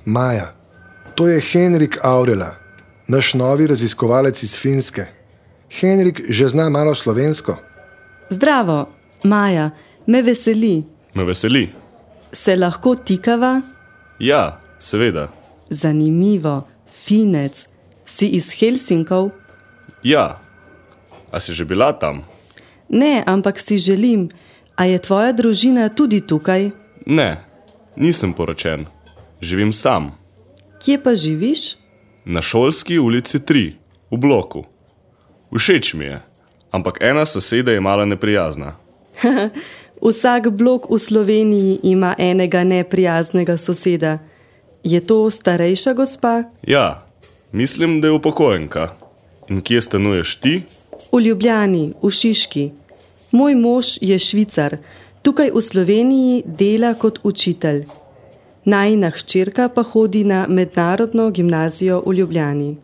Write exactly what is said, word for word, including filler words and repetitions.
Maja, to je Henrik Aurela, naš novi raziskovalec iz Finske. Henrik že zna malo slovensko. Zdravo, Maja, me veseli. Me veseli. Se lahko tikava? Ja, seveda. Zanimivo, Finec. Si iz Helsinkov? Ja. A si že bila tam? Ne, ampak si želim. A je tvoja družina tudi tukaj? Ne, nisem poročen. Živim sam. Kje pa živiš? Na Šolski ulici tri, v bloku. Všeč mi je, ampak ena soseda je mala neprijazna. Vsak blok v Sloveniji ima enega neprijaznega soseda. Je to starejša gospa? Ja, mislim, da je upokojenka. In kje stanuješ ti? V Ljubljani, v Šiški. Moj mož je Švicar, tukaj v Sloveniji dela kot učitelj. Najina hčerka pa hodi na mednarodno gimnazijo v Ljubljani.